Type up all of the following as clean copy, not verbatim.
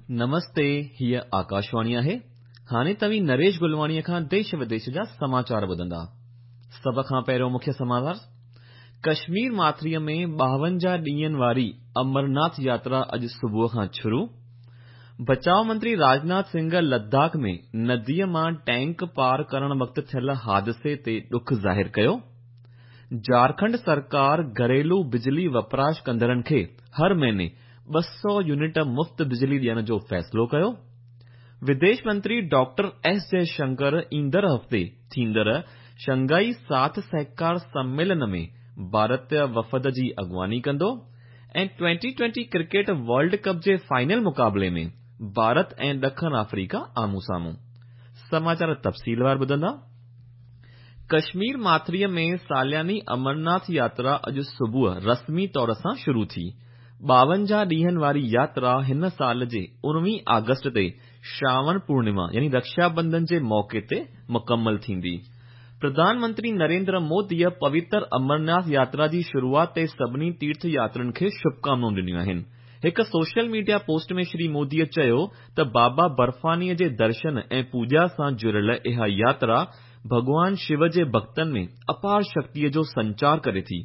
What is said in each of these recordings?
نمستي، هيء آڪاشواڻي آهي. هاڻي توهين نريش گلواڻيء کان ديش وديش جا سماچار ٻڌندا. سڀ کان پهريون مکيه سماچار، ڪشمير ماٿريء ۾ 52 ڏينهن واري امرناٿ ياترا اڄ صبح کان شروع. بچاء منتري راجناٿ سنگهه لداخ ۾ نديء مان ٽينڪ پار ڪرڻ وقت ٿيل حادثي تي ڏک ظاهر ڪيو. جهارکنڊ سرڪار گهريلو بجلي وپراش ڪندڙن کي هر مهيني 200 يونٽ مفت بجلي ڏيڻ جو فيصلو ڪيو. وديش منتري ڊاڪٽر ايس جئه شنڪر ايندڙ هفتي ٿيندڙ شنگهائي ساٿ سهڪار سميلن ۾ ڀارتي وفد جي اڳواڻي ڪندو ۽ twenty twenty cricket world cup جي فائنل مقابلي ۾ ڀارت ۽ ڏکڻ آفريڪا آمهون سامهون. سماچار تفصيلوار ٻڌندا. ڪشمير ماٿريء ۾ سالياني امرناٿ ياترا اڄ صبح رسمي طور سان شروع ٿي. 52 ڏينهن واري ياترا هن سال جي 19 آگسٽ تي شراوڻ پورنما يعني رڪشا بنڌن جي موقعي تي مڪمل ٿيندي. پرڌان منتري نريندر موديء پوتر امرناٿ ياترا جي شروعات تي سڀني تيرٿ ياترين کي شڀڪامنائون ڏنيون آهن. هڪ سوشل ميڊيا پوسٽ ۾ شري موديء چيو ته بابا برفانيء جي درشن ۽ پوڄا سان جڙيل اها ياترا ڀڳوان شو جي ڀڳتن ۾ اپار شڪتيء جو سنچار ڪري ٿي.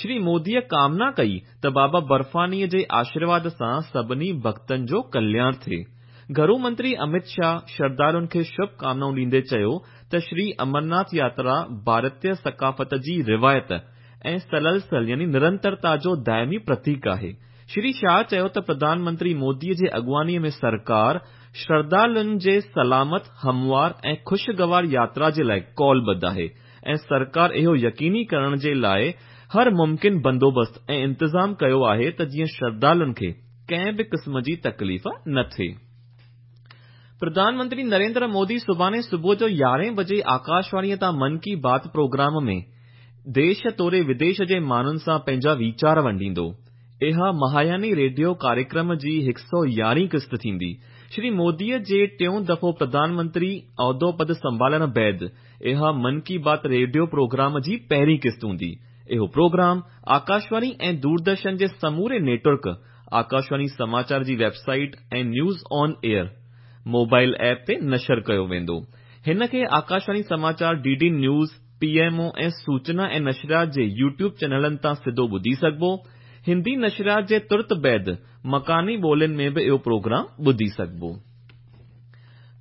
شري موديء ڪامنا ڪئي ته بابا برفانيء جي آشيرواد سان سڀني ڀڳتن جو ڪلياڻ ٿئي. گهرو منتري امت شاهه شرڌالن کي شڀ ڪامنائون ڏيندي چيو ته شري امرناٿ ياترا ڀارتي ثقافت جي روايت ۽ سلسل يعني نرنترتا جو دائمي پرتيڪ آهي. شري شاهه چيو ته پرڌان منتري موديء جي اڳواڻيء ۾ سرڪار شرڌالن جي سلامت، هموار ۽ خوشگوار ياترا جي لاء قولبڌ آهي ۽ سرڪار اهو يقيني ڪرڻ جي لاء هر ممڪن بندوبست ۽ انتظام ڪيو آهي ته جيئن شرڌالن کي ڪنهن به قسم جي تڪليف نه ٿئي. پرڌان منتري نريندر مودي سڀاڻي صبح جو 11 بجي آڪاشواڻيء تان من ڪي بات پروگرام ۾ ديش توڙي وديش جي ماڻهن سان پنهنجا ويچار ونڊيندو. اها ماهياني ريڊيو ڪاريڪرم جي 111 قسط ٿيندي. شري موديء جي ٽيون دفعو پرڌان منتري عهدو پد سنڀالڻ بعد اها من ڪي بات ريڊيو پروگرام جي پهرين قسط هوندي. اهو پروگرام آڪاشواڻي ۽ دوردرشن جي سموري نيٽ ورڪ، آڪاشواڻي سماچار جي website ۽ news on air mobile app تي نشر ڪيو ويندو. هن کي آڪاشواڻي سماچار، D D news, P M O ۽ سوچنا ۽ نشريات جي يوٽيوب چينلن تان سڌو ٻڌي سگهبو. هندي نشريات جي ترت بعد مڪاني ٻولين ۾ به اهو پروگرام ٻڌي سگهبو.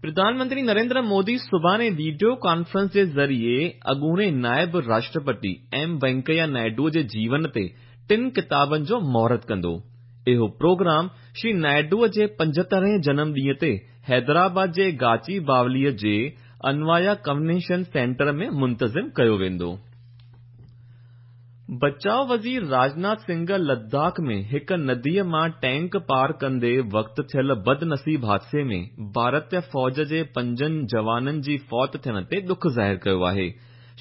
پرڌان منتري نريندر مودي سڀاڻي وڊيو ڪانفرنس جي ذريعي اڳوڻي نائب راشٽرپتي ايم وينڪيا نائيڊوء جي جيون تي ٽن ڪتابن جو مهورت ڪندو. اهو پروگرام شري نائيڊوء جي 75هين جنم ڏينهن تي حيدرآباد جي گاچي باوليء جي انوايا ڪنوينشن سينٽر ۾ منتظم ڪيو ويندو. بچاء وزير راجناٿ سنگهه لداخ ۾ هڪ نديء مان ٽينڪ پار ڪندي وقت ٿيل بدنصيب حادثي ۾ ڀارتي فوج جي پنجن جوانن جي فوت ٿيڻ تي ڏک ظاهر ڪيو آهي.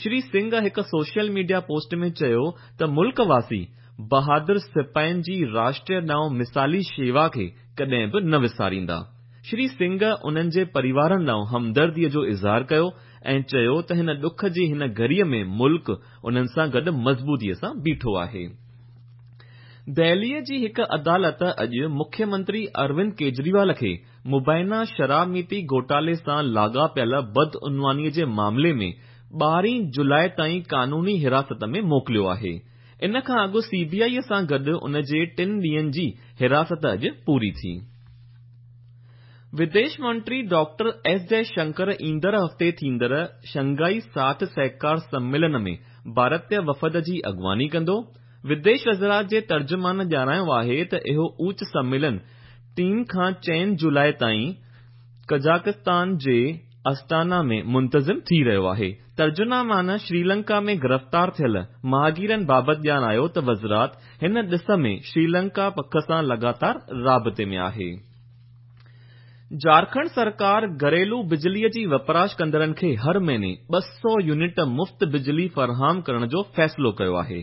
شري سنگهه هڪ سوشل ميڊيا پوسٽ ۾ چيو ته ملڪ واسي بهادر سپاهين جي راشٽر ڏانهن مثالي شيوا کي ڪڏهن به نه وساريندا. شري سنگهه انهن جي پريوارن ڏانهن همدرديء جو اظهار ڪيو ۽ چيو ته هن ڏک جي هن گهڙيء ۾ ملڪ انهن سان گڏ مضبوطيء سان بيٺو آهي. دهليء جي هڪ عدالت اڄ مکيه منتري اروند ڪيجريوال کي مبينا شراب نيتي گهوٽالي سان لاڳاپيل بدعنوانيء جي معاملي ۾ 12 جولاء تائين قانوني حراست ۾ موڪليو آهي. ان کان اڳ سي بي آء سان گڏ ان جي ٽن ڏينهن جي حراست اڄ پوري ٿي. وديش منتري ڊاڪٽر ايس جئه شنڪر ايندڙ هفتي ٿيندڙ شنگهائي ساٿ سهڪار سميلن ۾ ڀارتي وفد جي اڳواڻي ڪندو. وديش وزارت جي ترجمان ڄاڻايو آهي ته اهو اوچ سميلن 3 کان 4 جولاء تائين قزاقستان جي استانا ۾ منتظم ٿي رهيو آهي. ترجمان شريلنڪا ۾ گرفتار ٿيل ماهگيرن بابت ڄاڻايو ته وزارت هن ڏس ۾ شريلنڪا پک سان لڳاتار رابطي ۾ آهي. جهارکنڊ سرڪار گهريلو بجليء جي وپراش ڪندڙن کي هر مهيني 200 يونٽ مفت بجلي فراهم ڪرڻ جو فيصلو ڪيو آهي.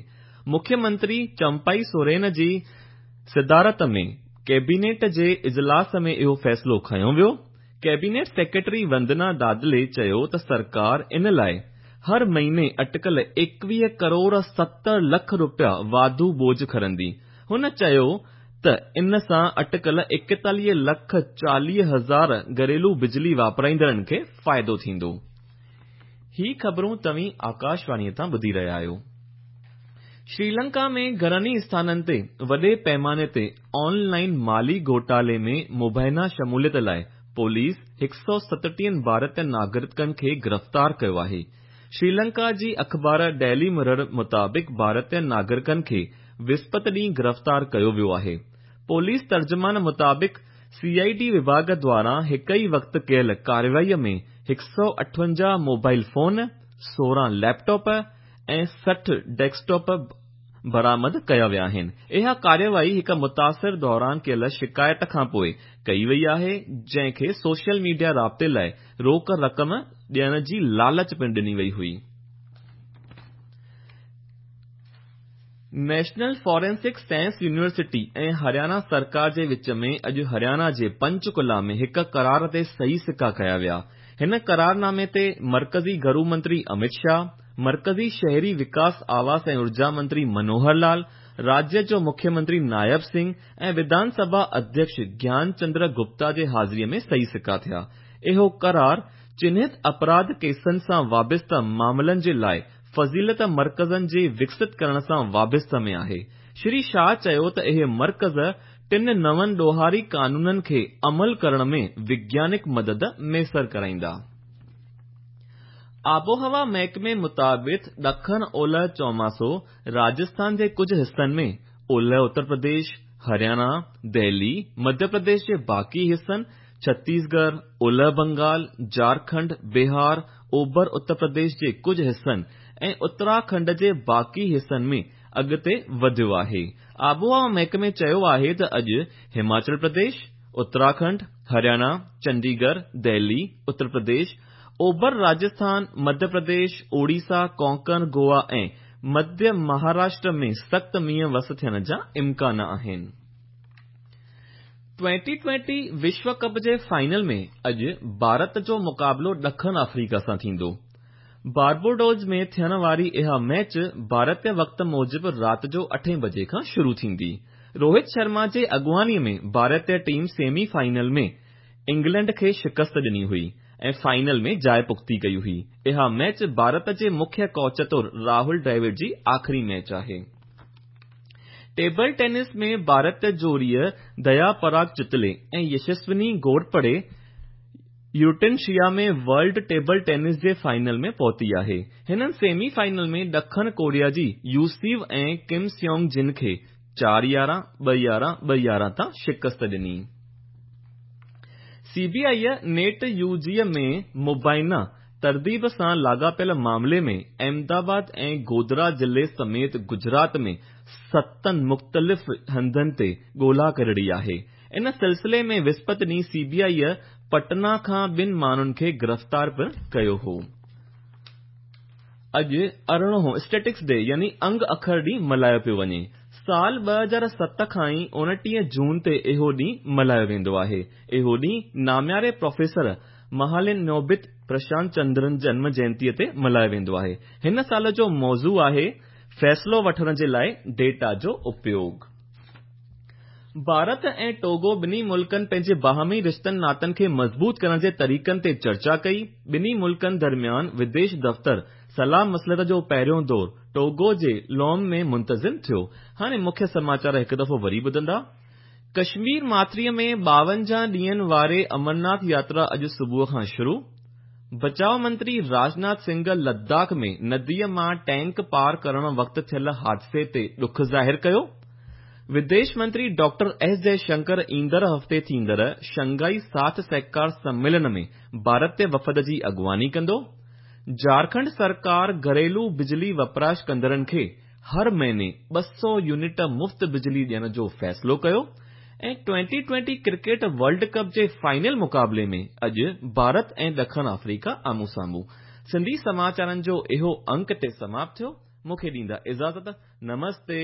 مکيه منتري چمپائي سورين جي صدارت ۾ ڪيبينيٽ جي اجلاس ۾ اهو فيصلو کنيو ويو. ڪيبينيٽ سيڪريٽري وندنا دادلي چيو ته سرڪار ان لاء هر مهيني اٽڪل 21 ڪروڙ 70 لک رپيا واڌو بوجهه کڻندي. هن چيو ته ان سان اٽڪل 41 لک 40 هزار گهريلو بجلي واپرائيندڙن کي فائدو ٿيندو. هي خبرون توهين آڪاشواڻيء تان ٻڌي رهيا آهيو. شريلنڪا ۾ گهڻن ئي اسٿانن تي وڏي پيماني تي آن لائين مالي گهوٽالي ۾ مبينا شموليت لاء پوليس 137 ڀارتي ناگرڪن کي گرفتار ڪيو آهي. شريلنڪا جي اخبار ڊيلي مرر مطابق ڀارتي ناگرڪن کي وسپت ڏينهن گرفتار ڪيو ويو آهي. پوليس ترجمان مطابق سي I D وڀاڳ دواران هڪ ئي وقت ڪيل ڪارروائي ۾ 158 mobile phone, 16 laptop ۽ 60 desktop برآمد ڪيا ويا آهن. اها ڪارروائي هڪ متاثر دوران ڪيل شڪايت کانپوء ڪئي وئي آهي جنهن کي سوشل ميڊيا رابطي لاء روڪ رقم ڏيڻ جي لالچ پڻ ڏني وئي هئي. National forensic science university ۽ Haryana سرڪار جي وچ ۾ اڄ هريانا جي پنچڪولا ۾ هڪ قرار تي صحيح سڪا ڪيا ويا. هن قرارنامي تي مرڪزي گهرو منتري امت شاهه، مرڪزي شهري وڪاس آواس ۽ اورجا منتري منوهر لال، راجيه جو مکيه منتري نائب سنگهه ۽ وڌان سڀا اڌيڪش گيان چندر گپتا جي حاضري ۾ صحيح سڪا ٿيا. اهو قرار چنهت اپراڌ ڪيسن سان وابسته معاملن جي لاء فضيلت مرڪزن جي وڪست ڪرڻ سان وابسته ۾ آهي. شري شاهه چيو ته اهي مرڪز ٽن نون ڏوهاري قانونن کي عمل ڪرڻ ۾ وگيانڪ مدد ميسر ڪرائيندا. آبهوا محڪمي مطابق ڏکڻ اولهه چوماسو راجسٿان جي ڪجهه حصن ۾، اولهه اتر پرديش، هرياڻا، دهلي، مڌيه پرديش جي باقي حصن، ڇتيسڳڙهه، اولهه بنگال، جهارکنڊ، بهار، اوڀر اتر پرديش جي ڪجهه حصن ۽ اتراکنڊ جي باقي حصن ۾ اڳتي وڌيو آهي. آبهوا محڪمي چيو آهي ته اڄ هماچل پرديش، اتراکنڊ، هرياڻا، چنڊيڳڙهه، دهلي، اتر پرديش، اوڀر راجسٿان، مڌيه پرديش، اوڙيسا، ڪونڪڻ، گوا ۽ مڌيه مهاراشٽر ۾ سخت مينهن وس ٿيڻ جا امڪان آهن. ٽوئنٽي ٽوئنٽي وشو ڪپ جي فائنل ۾ اڄ ڀارت جو مقابلو ڏکڻ آفريڪا سان ٿيندو. باربوڊوز ۾ ٿيڻ واري اها ميچ ڀارتي وقت موجب رات جو اٺين بجي کان شروع ٿيندي. روهت شرما جي اڳواڻي ۾ ڀارتي ٽيم سيمي فائنل ۾ انگلينڊ کي شڪست ڏني هئي ۽ فائنل ۾ جاءِ پختي ڪئي هئي. اها ميچ ڀارت جي مکيه ڪوچ طور راهول ڊريوڊ جي آخري ميچ آهي. ٽيبل ٽينس ۾ ڀارت جوڙيء ديا پراگ چتلي ۽ يشسوني گهورپڙي يوٽينشيا ۾ ورلڊ ٽيبل ٽينس جي فائنل ۾ پهتي آهي. هنن سيمي فائنل ۾ ڏکڻ ڪوريا جي يوسيو ۽ ڪم سيونگ جن کي 4 11 2 11 2 11 تان شڪست ڏني. C B I NEET U G ۾ مبينا ترديد سان لاڳاپيل معاملي ۾ احمدآباد ۽ گوڌرا ضلعي سميت گجرات ۾ ستن مختلف هنڌن تي ڳولا ڪري رهي آهي. ان سلسلي ۾ وسپت ڏينهن سي بي آء پٽنا کان ٻن ماڻهن کي گرفتار پڻ ڪيو هو. اڄ ارڙهون اسٽيٽسٽڪس ڊي يعني انگ اکر ڏينهن ملهايو پيو وڃي. سال 2007 کان ئي 29 جون تي اهو ڏينهن ملهايو ويندو آهي. اهو ڏينهن نامياري پروفيسر مهالنوبت پرشانت چندرن جنم جينتي تي ملهايو ويندو آهي. هن سال جو موضوع آهي فيصلو وٺڻ جي لاء ڊيٽا جو اپيوگ. ڀارت ۽ ٽوگو ٻنهي ملڪن پنهنجي باهمي رشتن ناتن کي مضبوط ڪرڻ جي طريقن تي چرچا ڪئي. ٻنهي ملڪن درميان وديش دفتر صلاح مصلحت جو پهريون دور ٽوگو جي لوم ۾ منتظم ٿيو. هاڻي مکيه سماچار هڪ دفعو وري ٻڌندا. ڪشمير ماٿريء ۾ 52 ڏينهن واري امرناٿ ياترا اڄ صبح کان شروع. بچاء منتري راجناٿ سنگهه لداخ ۾ نديء مان ٽينڪ پار ڪرڻ وقت ٿيل حادثي تي ڏک ظاهر ڪيو. وديش منتري ڊاڪٽر ايس جئي شنڪر ايندڙ هفتي ٿيندڙ شنگهائي ساٿ سهڪار سميلن ۾ ڀارتي وفد جي اڳواڻي ڪندو. جهارکنڊ سرڪار گهريلو بجلي وپراش ڪندڙن کي هر مهيني 200 يونٽ مفت بجلي ڏيڻ جو فيصلو ڪيو ۽ twenty twenty cricket world cup جي فائنل مقابلي ۾ اڄ ڀارت ۽ ڏکڻ آفريڪا آمهون سامهون. سنڌي سماچارن جو اهو انڪ هتي سماپت ٿيو. مون کي ڏيندا اجازت. نمستي.